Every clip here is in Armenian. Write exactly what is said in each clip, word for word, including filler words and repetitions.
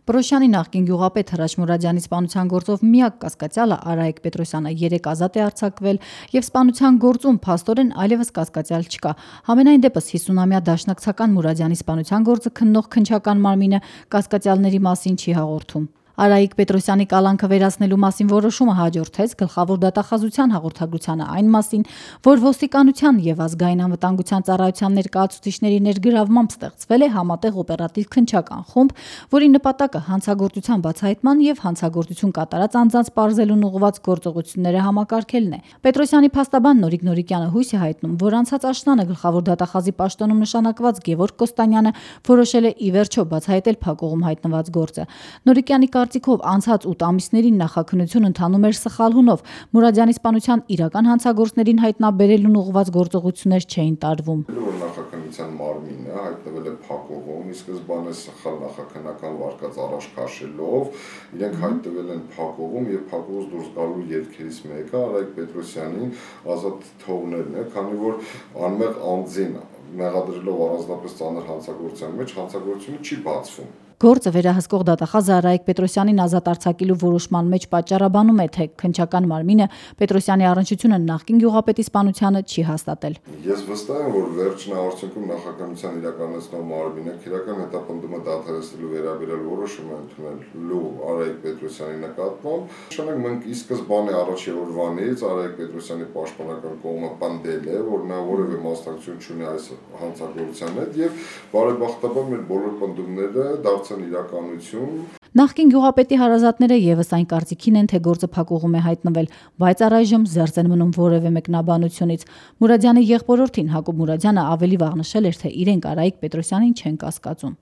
Պռոշյանի նախկին գյուղապետ Հրաչ Մուրադյանի սպանության գործով միակ կասկածյալը Արայիկ Պետրոսյանը երեկ ազատ է արձակվել եւ սպանության գործում փաստորեն այլևս կասկածյալ չկա։ Համենայն դեպս հիսունամյա դաշնակցական Մուրադյանի սպանության գործը քննող քննչական մարմինը կասկածյալների մասին չի հաղորդում։ Արայիկ Պետրոսյանի կալանքը վերացնելու մասին որոշումը հաջորդեց գլխավոր դատախազության հաղորդագրությանը այն մասին, որ ոստիկանության եւ ազգային անվտանգության ծառայության ներկայացուցիչների ներգրավմամբ ստեղծվել է համատեղ օպերատիվ քննչական խումբ, որի նպատակը հանցագործության բացահայտման եւ հանցագործություն կատարած անձանց պարզելուն ուղղված գործողությունները համակարգելն է։ Պետրոսյանի փաստաբան Նորիկ Նորիկյանը հույս է հայտնում, որ անցած աշնանը գլխավոր դատախազի պաշտոնում նշանակված Գևորգ Կոստանյանը որոշել է ի վերջո բացահայտել փակուղում հայտնված գործը։ Նորիկյանի կարծիքով անցած ութ ամիսներին նախաքննություն ընթանում էր սխալ հունով, Մուրադյանի սպանության իրական հանցագործներին հայտնաբերելուն ուղղված գործողություններ չէին տարվում։ Նախաքննության մարմինը հայտնվել է փակուղում, ի սկզբանե սխալ նախաքննական վարկած առաջ քաշելով, իրենք հայտնվել են փակուղում եւ փակուղուց դուրս գալու ելքերից մեկը Արայիկ Պետրոսյանին ազատ թողնելն է, քանի որ անմեղ անձին մեղադրելով առանձնապես ծանր հանցագործության մեջ հանցագործությունը չի բացվում։ Գործը վերահսկող դատախազը Արայիկ Պետրոսյանին ազատ արձակելու որոշման մեջ պատճառաբանում է, թե քննչական մարմինը Պետրոսյանի առնչությունը նախկին գյուղապետի սպանությանը չի հաստատել։ Ես վստահ եմ, որ վերջին արդյունքում նախաքննության իրականացնող մարմինը քրեական հետապնդումը դադարեցնելու վերաբերյալ որոշում է ընդունելու Արայիկ Պետրոսյանի նկատմամբ։ Նշանակ մենք ի սկզբանե առաջի օրվանից Արայիկ Պետրոսյանի պաշտպանական կողմը պնդել է, որ նա որևէ մասնակցություն չունի այս հանցագործության հետ եւ բարեբախտաբար մեր բոլոր պնդումները դարձան իրականություն։ Նախկին գյուղապետի հարազատները եւս այն կարծիքին են, թե գործը փակուղում է հայտնվել, բայց առայժմ զերծ են մնում որևէ մեկնաբանությունից։ Մուրադյանի եղբորորդին Հակոբ Մուրադյանը ավելի վաղ նշել էր, թե իրենք Արայիկ Պետրոսյանին չեն կասկածում։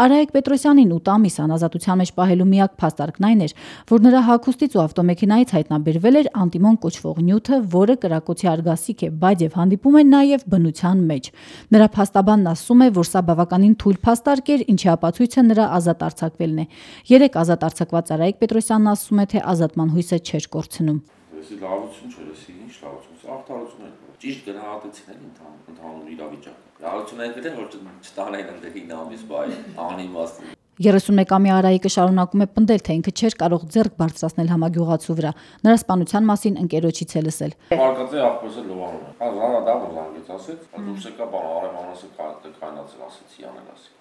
Արայիկ Պետրոսյանին ութ ամիս անազատության մեջ պահելու միակ փաստարկն այն էր, որ նրա հագուստից ու ավտոմեքենայից հայտնաբերվել էր անտիմոն կոչվող նյութը, որը կրակոցի արգասիկ է, բայց եւ հանդիպում է նաեւ բնության մեջ։ Նրա փաստաբանն ասում է, որ սա բավականին թույլ փաստարկ էր, ինչի ապացույցը նրա ազատ արձակվելն է։ Երեք ազատ արձակված Արայիկ Պետրոսյանն ասում է, թե ազատման հույսը չէր կորցնում։ Ես լավություն չէր, ես ինչ լավություն, արտարություն է։ Ճիշտ գնահատեցին են ընդհանուր իրավիճակը։ Լավություն են գրել, որ չտանեն ընդ հին ամիս բայ անիմաստ։ երեսունմեկամյա Արայիկը շարունակում է պնդել, թե ինքը չէր կարող ձեռք բարձրացնել համագյուղացու վրա։ Նրա սպանության մասին ընկերոջից է լսել։ Մարգարեթի աղբեսը լողանում է։ Հազարը դա որ զանգեց ասեց, դուրս եկա բան արևանասը կայնացել ասեցի անել ասի։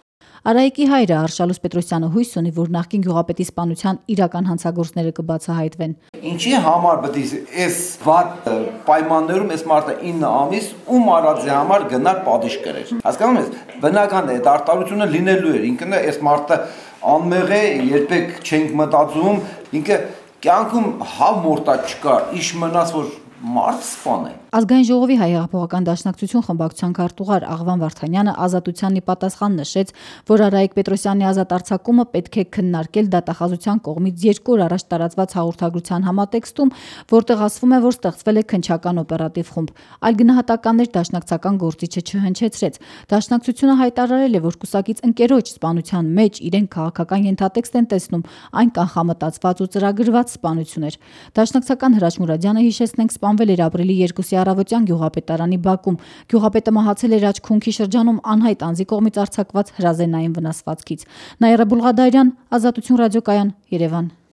Արայիկի հայրը Արշալուս Պետրոսյանը հույս ունի, որ նախկին գյուղապետի սպանության իրական հանցագործները կբացահայտվեն։ Ինչի համար պետք է այս վատ պայմաններում այս մարդը ինը ամիս ում արածի համար գնար պատիժ կրեր։ Հասկանում ես, բնական է, այդ արտարությունը լինելու էր, ինքն է այս մարդը անմեղ է, երբեք չենք մտածում, ինքը կյանքում հա մորտա չկար, իշ մնաց որ մարդ սպան է։ Ազգային ժողովի հայ հեղափոխական դաշնակցություն խմբակցության քարտուղար Աղվան Վարդանյանը ազատությանն ի պատասխան նշեց, որ Արայիկ Պետրոսյանի ազատ արձակումը պետք է քննարկել դատախազության կողմից երկու օր առաջ տարածված հաղորդագրության համատեքստում, որտեղ ասվում է, որ ստեղծվել է քննչական օպերատիվ խումբ։ Այլ գնահատականներ դաշնակցական գործիչը չհնչեցրեց։ Դաշնակցությունը հայտարարել է, որ կուսակից ընկերոջ սպանության մեջ իրենք քաղաքական ենթատեքստ են տեսնում, այն կանխամտածված ու ծրագրված սպանություն էր։ Դաշնակցական Հրաչ Մուրադյանը հիշեցնենք սպանվել էր ապրիլի երկուսի առավոտյան գյուղապետարանի բակում։ Գյուղապետը մահացել էր Աչքունքի շրջանում անհայտ անձի կողմից արձակված հրազենային վնասվածքից։ Նաիրա Բուլղադարյան, Ազատություն ռադիոկայան, Երևան։